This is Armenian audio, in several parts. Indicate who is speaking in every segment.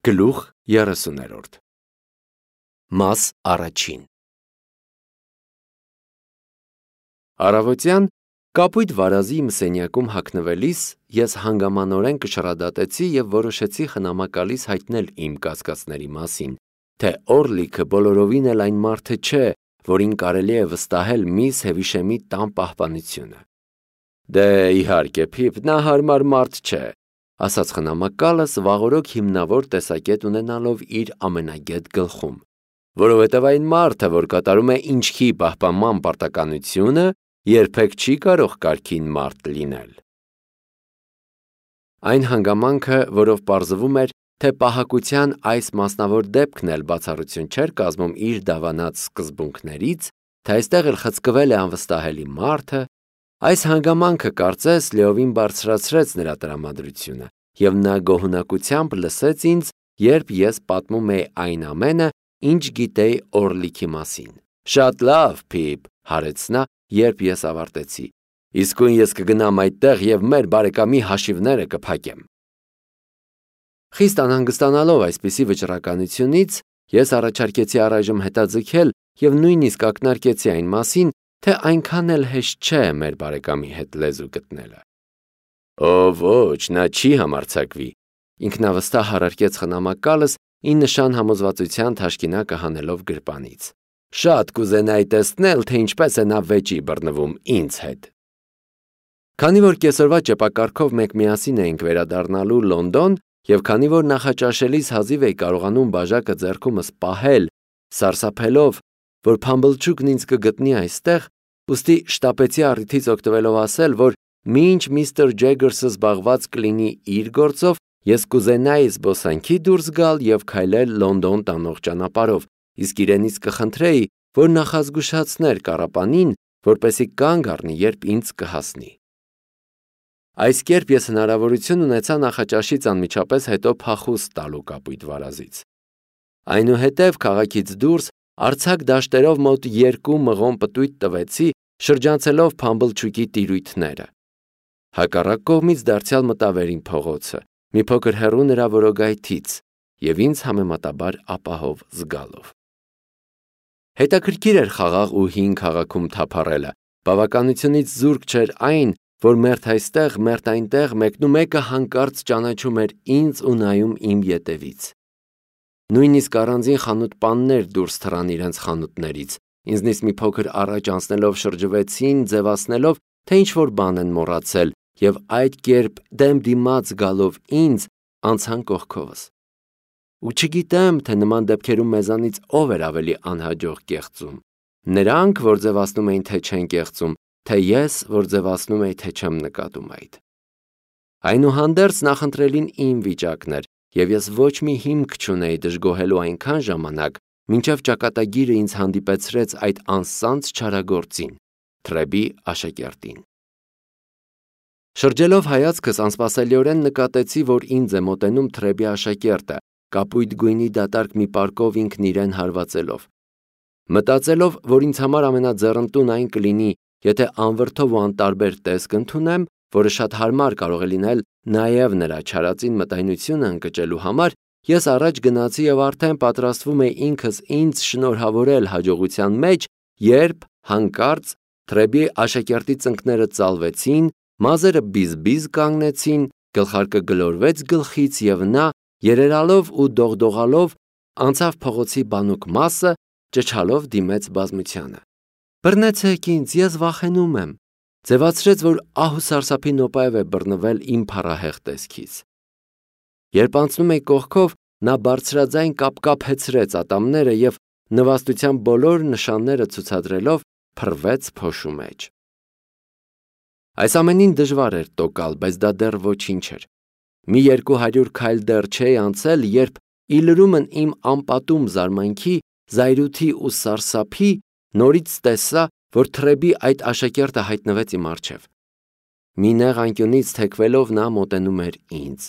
Speaker 1: Գլուխ 30 Մաս առաջին Առավոտյան կապույտ վարազի իմ սենյակում հագնվելիս ես հանգամանորեն կշռադատեցի և որոշեցի խնամակալից հայտնել իմ կասկածների մասին, թե Օրլիքը բոլորովին էլ այն մարդը չէ, որին կարելի է վստահել միս Հևիշեմի տան պահպանությունը։ Դե իհարկե, Փիփ, նա հարմար մարդ չէ, ասաց խնամակալս վաղօրոք հիմնավոր տեսակետ ունենալով իր ամենագետ գլխում, որովհետև այն մարդը, որ կատարում է ինչքի պահպանման պարտականությունը, երբեք չի կարող կարգին մարդ լինել։ Այն հանգամանքը, որով պարզվում էր, թե պահակության այս մասնավոր դեպքն էլ բացառություն չէր կազմում իր դավանած սկզբունքներից, թե այստեղ էլ խցկվել է անվստահելի մարդը, այս հանգամանքը կարծես լիովին բարձրացրեց նրա տրամադրությունը, և նա գոհունակությամբ լսեց ինձ, երբ ես պատմում էի այն ամենը, ինչ գիտեի Օրլիքի մասին։ Շատ լավ, Փիփ, հարեց նա, երբ ես ավարտեցի, իսկույն ես կգնամ այդտեղ և մեր բարեկամի հաշիվները կփակեմ։ Խիստ անհանգստանալով այսպիսի վճռականությունից, ես առաջարկեցի առայժմ հետաձգել և նույնիսկ ակնարկեցի այն մասին, թե այնքան էլ հեշտ չէ մեր բարեկամի հետ լեզու գտնելը։ Օ ոչ, նա չի համարձակվի, ինքնավստահ հարարկեց խնամակալս ի նշան համոզվածության թաշկինակը հանելով գրպանից։ Շատ կուզենայի տեսնել, թե ինչպես է նա վեճի բռնվում ինձ հետ։ Քանի որ կեսօրվա ճեպակառքով մենք միասին էինք վերադառնալու Լոնդոն, և քանի որ նախաճաշելիս հազիվ էի կարողանում բաժակը ձեռքումս պահել, սարսափելով, որ Փամբլչուկն ինձ կգտնի այստեղ, ուստի շտապեցի առիթից օգտվելով ասել, որ մինչ միստր Ջեգերսը զբաղված կլինի իր գործով, ես կուզենայի զբոսանքի դուրս գալ և քայլել Լոնդոն տանող ճանապարհով, իսկ իրենից կխնդրեի, որ նախազգուշացներ կառապանին, որպեսզի կանգ առնի, երբ ինձ կհասնի։ Այս կերպ ես հնարավորություն ունեցա նախաճաշից անմիջապես հետո փախուստ տալու կապույտ վարազից։ Այնուհետև քաղաքից դուրս արձակ դաշտերով մոտ 2 մղոն պտույտ տվեցի, շրջանցելով Փամբլչուկի տիրույթները։ Հակառակ կողմից դարձյալ մտա վերին փողոցը, մի փոքր հեռու նրա որոգայթից և ինձ համեմատաբար ապահով զգալով։ Հետաքրքիր էր խաղաղ ու հին քաղաքում թափառելը, բավականությունից զուրկ չէր այն, որ մերթ այստեղ, մերթ այնտեղ մեկնումեկը հանկարծ ճանաչում էր ինձ ու նայում իմ ետևից։ Նույնիսկ առանձին խանութպաններ դուրս թռան իրենց խանութներից, ինձնից մի փոքր առաջ անցնելով շրջվեցին, ձևացնելով, թե ինչ-որ բան են մոռացել, և այդ կերպ դեմ դիմաց գալով ինձ, անցան կողքովս։ Ու չգիտեմ, թե նման դեպքերում մեզանից ով էր ավելի անհաջող կեղծում, նրանք, որ ձևացնում էին, թե չեն կեղծում, թե ես, որ ձևացնում էի, թե չեմ նկատում այդ։ Այնուհանդերձ նախընտրելին իմ վիճակն էր, և ես ոչ մի հիմք չունեի դժգոհելու այնքան ժամանակ, մինչև ճակատագիրը ինձ հանդիպեցրեց այդ անսանձ չարագործին, Թրեբի աշակերտին։ Շրջելով հայացքս անսպասելիորեն նկատեցի, որ ինձ է մոտենում Թրեբի աշակերտը, կապույտ գույնի դատարկ մի պարկով ինքն իրեն հարվածելով։ Մտածելով, որ ինձ համար ամենաձեռնտուն այն կլինի, եթե անվրդով ու անտարբեր տեսք ընդունեմ, որը շատ հարմար կարող է լինել նաև նրա չարածին մտայնությունը ընկճելու համար, ես առաջ գնացի և արդեն պատրաստվում էի ինքս ինձ շնորհավորել հաջողության մեջ, երբ հանկարծ Թրեբի աշակերտի ծնկները ծալվեցին, մազերը բիզ-բիզ կանգնեցին, գլխարկը գլորվեց գլխից և նա, երերալով ու դողդողալով, անցավ փողոցի բանուկ մասը, ճչալով դիմեց բազմությանը։ Բռնեցեք ինձ, ես վախենում եմ, ձևացրեց, որ ահ ու սարսափի նոպաև է բռնվել իմ փառահեղ տեսքից։ Երբ անցնում էի կողքով, նա բարձրաձայն կապկապեցրեց ատամները և նվաստության բոլոր նշանները ցուցադրելով փռվեց փոշու մեջ։ Այս ամենին դժվար էր տոկալ, բայց դա դեռ ոչինչ էր։ Մի 200 քայլ դեռ չէի անցել, երբ ի լրումն իմ անպատում զարմանքի, զայրույթի ու սարսափի նորից տեսա, որ Թրեբի այդ աշակերտը հայտնվեց իմ առջև։ Մի նեղ անկյունից թեքվելով նա մոտենում էր ինձ։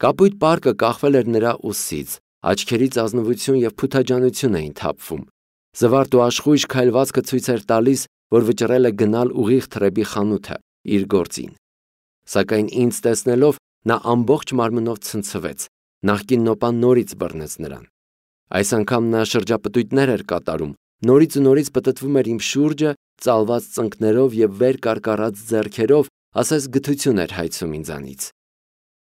Speaker 1: Կապույտ պարկը կախվել էր նրա ուսից, աչքերից ազնվություն և փութաջանություն էին թափվում։ Զվարթ ու աշխույժ քայլվածքը ցույց էր տալիս, որ վճռել է գնալ ուղիղ Թրեբի խանութը, իր գործին։ Սակայն ինձ տեսնելով, նա ամբողջ մարմնով ցնցվեց, Նախկին նոպան նորից բռնեց նրան։ Այս անգամ նա շրջապտույտներ էր կատարում, նորից ու նորից պտտվում էր իմ շուրջը, ծալված ծնկներով եւ վեր կարկառած ձեռքերով, ասես գթություն էր հայցում ինձանից։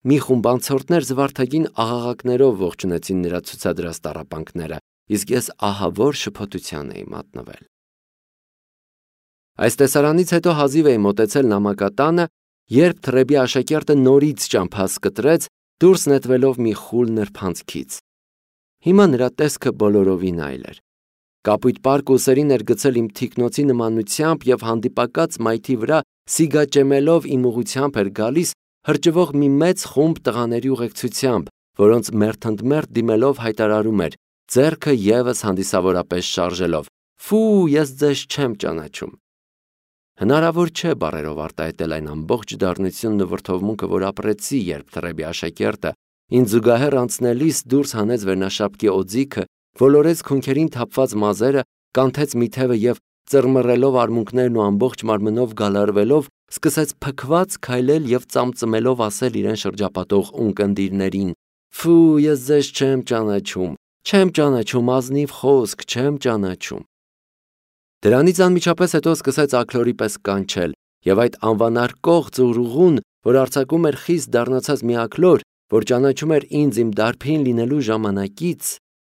Speaker 1: Մի խումբ անցորդներ զվարթագին աղաղակներով ողջունեցին նրա ցուցադրած տառապանքները, իսկ ես ահավոր շփոթության էի մատնվել։ Այս տեսարանից հետո հազիվ էի մոտեցել նամակատանը, երբ Թրեբի աշակերտը նորից ճամփաս կտրեց, դուրս նետվելով մի խուլ նրբանցքից։ Հիմա նրա տեսքը բոլորովին այլ էր։ Կապույտ պարկ ուսերին էր գցել իմ թիկնոցի նմանությամբ եւ հանդիպակաց մայթի վրա սիգաճեմելով իմ ուղությամբ էր գալիս հրճվող մի մեծ խումբ տղաների ուղեկցությամբ, որոնց մերթընդմերթ դիմելով հայտարարում էր, ձեռքը եւս հանդիսավորապես շարժելով. «Ֆու, ես ձեզ չեմ ճանաչում»։ Հնարավոր չէ բառերով արտահայտել այն ամբողջ դառնությունն ու վրդովմունքը, որ ապրեցի, երբ Թրեբի աշակերտը ինձ զուգահեռ անցնելիս դուրս հանեց վերնաշապկի օձիքը, ոլորեց քունքերին թափված մազերը, կանթեց մի թևը եւ ծռմռելով արմունկներն ու ամբողջ մարմնով գալարվելով, սկսեց փքված քայլել եւ ծամծմելով ասել իրեն շրջապատող ունկնդիրներին. «Ֆու, ես ձեզ չեմ ճանաչում, ազնիվ խոսք, չեմ ճանաչում»։ Դրանից անմիջապես հետո սկսեց աքլորի պես կանչել, եւ այդ անվանարկող ծուռուղուն, որ արձակում էր խիստ դառնացած մի աքլոր, որ ճանաչում էր ինձ իմ դարբին լինելու ժամանակից,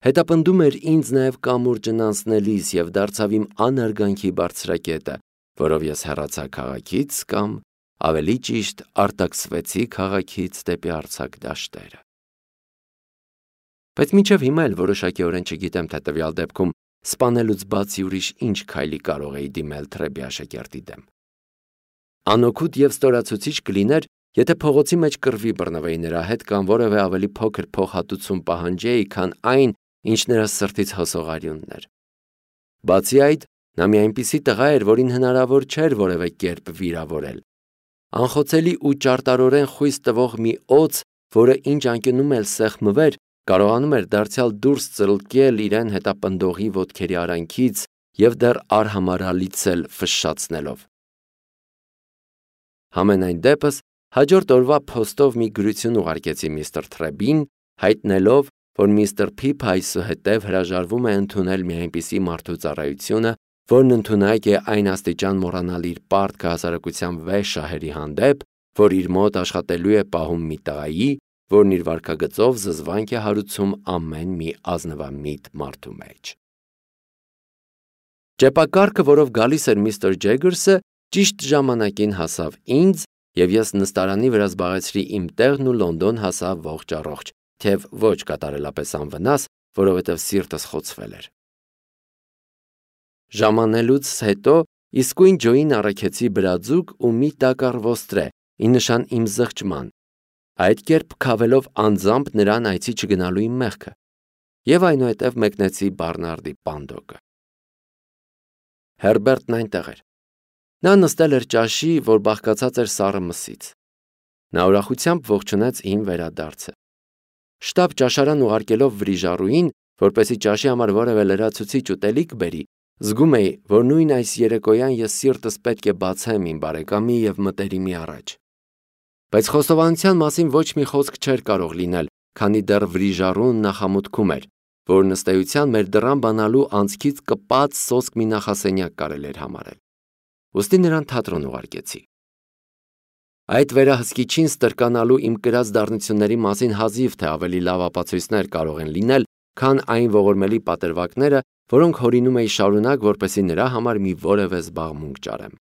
Speaker 1: հետապնդում էր ինձ նաեւ կամուրջն անցնելիս եւ դարձավ իմ անարգանքի բարձրակետը, որով ես հեռացա քաղաքից կամ ավելի ճիշտ արտաքսվեցի քաղաքից դեպի արձակ դաշտերը։ Բայց մինչև հիմա էլ որոշակիորեն չգիտեմ, թե տվյալ դեպքում սպանելուց բացի ուրիշ ինչ քայլի կարող էի դիմել Թրեբի աշակերտի դեմ։ Անօգուտ եւ ստորացուցիչ կլիներ, եթե փողոցի մեջ կռվի բռնվեի նրա հետ կամ որևէ ավելի փոքր փոխհատուցում պահանջեի, քան այն, ինչ նրա սրտից հոսող արյունն էր։ Բացի այդ, նա մի այնպիսի տղա էր, որին հնարավոր չէր որևէ կերպ վիրավորել։ Անխոցելի ու ճարտարորեն խույս տվող մի օձ, որը ինչ անկյունում էլ սեղմվեր, կարողանում էր դարձյալ դուրս ծլկել իրեն հետապնդողի ոտքերի արանքից եւ դեռ արհամարհալից էլ ֆշշացնելով։ Համենայն դեպս, հաջորդ օրվա փոստով մի գրություն ուղարկեցի միստր Թրեբին, հայտնելով, որ միստր Փիփը այսուհետև հրաժարվում է ընդունել մի այնպիսի մարդու ծառայությունը, որն ընդունակ է այն աստիճան մոռանալ իր պարտքը հասարակության վեհ շահերի հանդեպ, որ իր մոտ աշխատելու է պահում մի տղայի, որն իր վարքագծով զզվանք է հարուցում ամեն մի ազնվամիտ մարդու մեջ։ Ճեպակառքը, որով գալիս էր միստր Ջեգերսը, ճիշտ ժամանակին հասավ ինձ, եւ ես նստարանի վրա զբաղեցրի իմ տեղն ու Լոնդոն հասավ ողջ առողջ, թեև ոչ կատարելապես անվնաս, որովհետև սիրտս խոցվել էր։ Ժամանելուց հետո իսկույն Ջոյին առաքեցի բրաձուկ ու մի տակառ ոստրե, ի նշան իմ զղջման, այդ կերպ քավելով անձամբ նրան այցի չգնալու իմ մեղքը, եւ այնուհետև մեկնեցի Բարնարդի պանդոկը։ Հերբերտն այնտեղ էր։ Նա նստել էր ճաշի, որ բաղկացած էր սառը մսից։ Նա ուրախությամբ ողջունեց իմ վերադարձը։ Շտապ ճաշարան ուղարկելով վրիժառուին, որպեսի ճաշի համար որևէ լրացուցիչ ուտելիք բերի, զգում էի, որ նույն այս երեկոյան ես սիրտս պետք է բացեմ իմ բարեկամի եւ մտերիմի առաջ։ Բայց խոստովանության մասին ոչ մի խոսք չէր կարող լինել, քանի դեռ վրիժառուն նախամուտքում էր, որ նստեյության մեր դռան բանալու անցքից կպած սոսկ մի նախասենյակ կարել էր համարել։ Ուստի նրան թատրոն ուղարկեցի։ Այդ վերահսկիչին ստրկանալու իմ կրած դառնությունների մասին հազիվ թե ավելի լավ ապացույցներ կարող են լինել, քան այն ողորմելի պատրվակները, որոնք հորինում էի շարունակ, որպեսզի նրա համար մի որևէ զբաղմունք ճարեմ։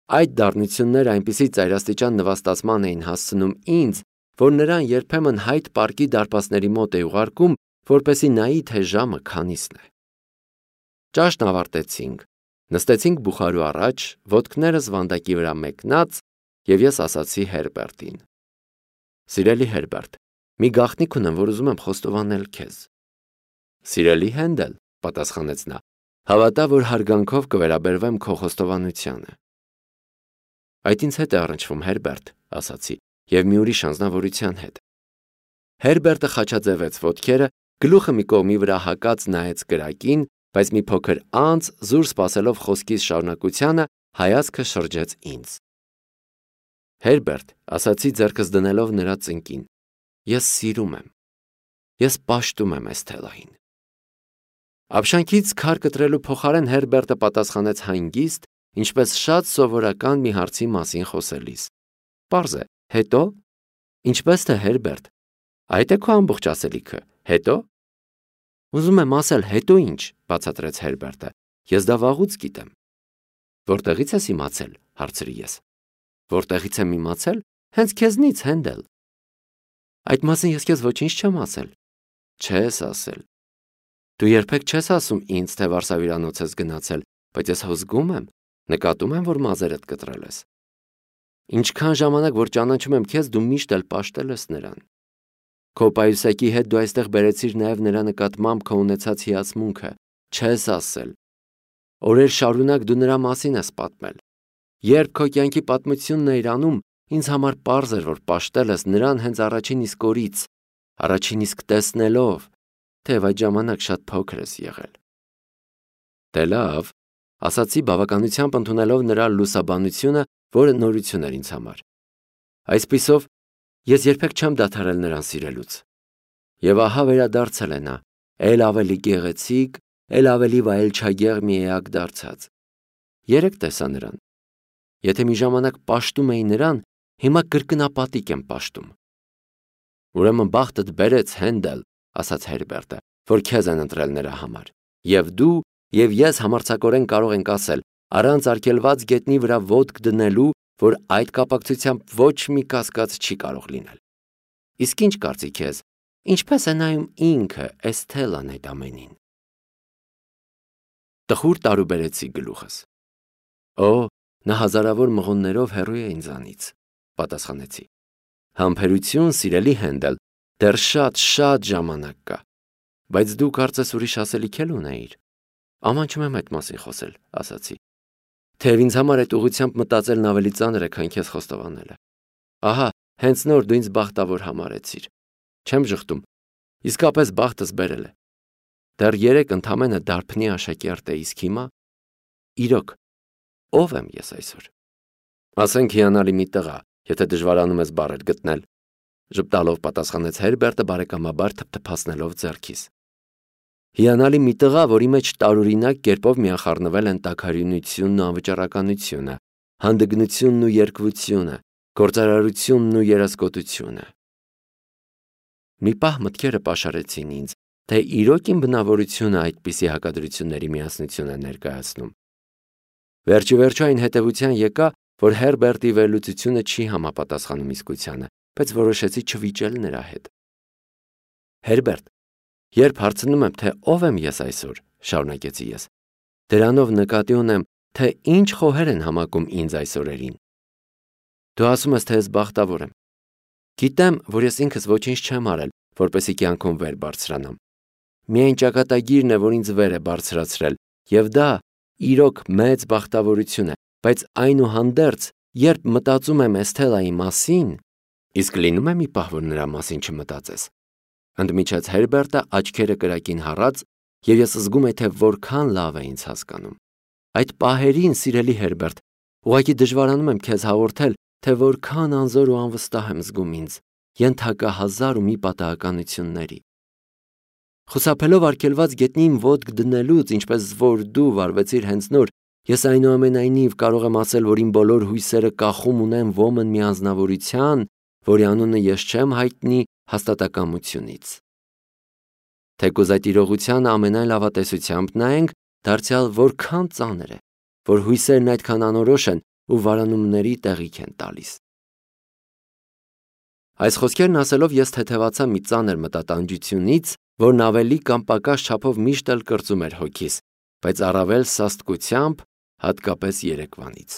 Speaker 1: Այդ դառնությունները այնպիսի ծայրաստիճան նվաստացման էին հասցնում ինձ, որ նրան երբեմն Հայդ պարկի դարպասների մոտ էի ուղարկում, որպեսզի նայի, թե ժամը քանիսն է։ Ճաշն ավարտեցինք, նստեցինք բուխարու առաջ, ոտքներս վանդակի վրա մեկնած, եւ ես ասացի Հերբերտին. «Սիրելի Հերբերտ, մի գաղտնիք ունեմ, որ ուզում եմ խոստովանել քեզ»։ «Սիրելի Հենդել», պատասխանեց նա, «հավատա, որ հարգանքով կվերաբերվեմ քո խոստովանությանը»։ «Այդ ինձ հետ է առնչվում, Հերբերտ», ասացի, եւ մի ուրիշ անձնավորության հետ։ Հերբերտը խաչաձևեց ոտքերը, գլուխը մի կողմի վրա հակած նայեց կրակին, բայց մի փոքր անց, զուր սպասելով խոսքիս շարունակությանը, հայացքը շրջեց ինձ։ Հերբերտ, ասացի ձեռքս դնելով նրա ծնկին, Ես սիրում եմ։ Ես պաշտում եմ Էսթելային։ Ապշանքից քար կտրելու փոխարեն Հերբերտը պատասխանեց հանգիստ, ինչպես շատ սովորական մի հարցի մասին խոսելիս։ Պարզ է, հետո։ Ինչպես թե Հերբերտ, այդ է քո ամբողջ ասելիքը, հետո։ Ուզում եմ ասել, հետո ինչ, բացատրեց Հերբերտը։ Ես դա վաղուց գիտեմ։ Որտեղից ես իմացել, հարցրի ես։ Որտեղից եմ իմացել, հենց քեզնից, Հենդել։ Այդ մասին ես քեզ ոչինչ չեմ ասել։ Չես ասել։ Դու երբեք չես ասում ինձ, թե վարսավիրանոց ես գնացել, բայց ես հուզգում եմ, նկատում եմ, որ մազերդ կտրել ես։ Ինչքան ժամանակ որ ճանաչում եմ քեզ, դու միշտ էլ պաշտել ես նրան։ Քո պայուսակի հետ դու այստեղ բերեցիր նաև նրա նկատմամբ քո ունեցած հիացմունքը, չես ասել։ Օրեր շարունակ դու նրա մասին ես պատմել։ Երբ քո կյանքի պատմությունն էիր անում, ինձ համար պարզ էր, որ պաշտել ես նրան հենց առաջին իսկ օրից, առաջին իսկ տեսնելով, թեև այդ ժամանակ շատ փոքր ես եղել։ Դե լավ, ասացի բավականությամբ ընդունելով նրա լուսաբանությունը, որը նորություն էր ինձ համար։ Այսպիսով, ես երբեք չեմ դադարել նրան սիրելուց։ Եվ ահա վերադարձել է նա, էլ ավելի գեղեցիկ, էլ ավելի վայելչագեղ մի էակ դարձած։ Երեք տեսա նրան։ Եթե մի ժամանակ պաշտում էի նրան, հիմա կրկնապատիկ եմ պաշտում։ Ուրեմն բախտդ բերեց, Հենդել, ասաց Հերբերտը, որ քեզ են ընտրել նրա համար։ Եվ դու, եւ ես համարձակորեն կարող ենք ասել, առանց արգելված գետնի վրա ոտք դնելու, որ այդ կապակցությամբ ոչ մի կասկած չի կարող լինել։ Իսկ ինչ կարծիք ես, ինչպես է նայում ինքը Էսթելան այդ ամենին։ Տխուր տարուբերեցի գլուխս։ Օ, նա հազարավոր մղոններով հեռու է ինձանից, պատասխանեցի։ Համբերություն, սիրելի Հենդել, դեռ շատ ժամանակ կա, բայց դու կարծես ուրիշ ասելիք էլ ունեիր։ Ամանչում եմ այդ մասին խոսել, ասացի։ Թեև ինձ համար այդ ուղղությամբ մտածելն ավելի ծանր է, քան քեզ խոստովանելը։ Ահա, հենց նոր դու ինձ բախտավոր համարեցիր։ Չեմ ժխտում, իսկապես բախտս բերել է։ Դեռ 3 ընդամենը դարբնի աշակերտ է, իսկ հիմա իրոք, ով եմ ես այսօր։ Ասենք հիանալի մի տղա, եթե դժվարանում ես բառեր գտնել, ժպտալով պատասխանեց Հերբերտը բարեկամաբար թփթփացնելով ձեռքիս։ Հիանալի մի տղա, որի մեջ տարօրինակ կերպով միախառնվել են տաքարյունությունն ու անվճարականությունը, հանդգնությունն ու երկվությունը, գործարարությունն ու երասկոտությունը։ Մի պահ մտքերը պաշարեցին ինձ, թե իրոք իմ բնավորությունը այդպիսի հակադրությունների միասնություն է ներկայացնում։ Վերջիվերջո այն հետևության եկա, որ Հերբերտի վերլուծությունը չի համապատասխանում իսկությանը, բայց որոշեցի չվիճել նրա հետ։ Հերբերտ, երբ հարցնում եմ, թե ով եմ ես այսօր, շարունակեցի ես, դրանով նկատի ունեմ, թե ինչ խոհեր են համակում ինձ այս օրերին։ Դու ասում ես, թե ես բախտավոր եմ։ Գիտեմ, որ ես ինքս ոչինչ չեմ արել, որպեսզի կյանքում վեր բարձրանամ։ Միայն ճակատագիրն է, որ ինձ վեր է բարձրացրել, եւ դա իրոք մեծ բախտավորություն է, բայց այնուհանդերձ, երբ մտածում եմ Էսթելայի մասին, իսկ լինում է մի պահ, որ նրա մասին չմտածես։ Ընդմիջեց Հերբերտը աչքերը կրակին հառած, եւ ես զգում եմ, թե որքան լավ է ինձ հասկանում։ Այդ պահերին, սիրելի Հերբերտ, ուղղակի դժվարանում եմ քեզ հաղորդել, թե որքան անզոր ու անվստահ եմ զգում ինձ, ենթակա հազար ու մի պատահականությունների։ Խուսափելով արգելված գետնին ոտք դնելուց, ինչպես որ դու վարվեցիր հենց նոր, ես այնուամենայնիվ կարող եմ ասել, որ իմ բոլոր հույսերը կախում ունեն ոմն մի անձնավորության, որի անունը ես չեմ հայտնի հաստատակամությունից։ Թեկուզ այդ իրողությանը ամենայն լավատեսությամբ նայենք, դարձյալ որքան ծանր է, որ հույսերն այդքան անորոշ են ու վարանումների տեղիք են տալիս։ Այս խոսքերն ասելով ես թեթևացա մի ծանր մտատանջությունից, որն ավելի կամ պակաս չափով միշտ էլ կրծում էր հոգիս, բայց առավել սաստկությամբ, հատկապես երեկվանից։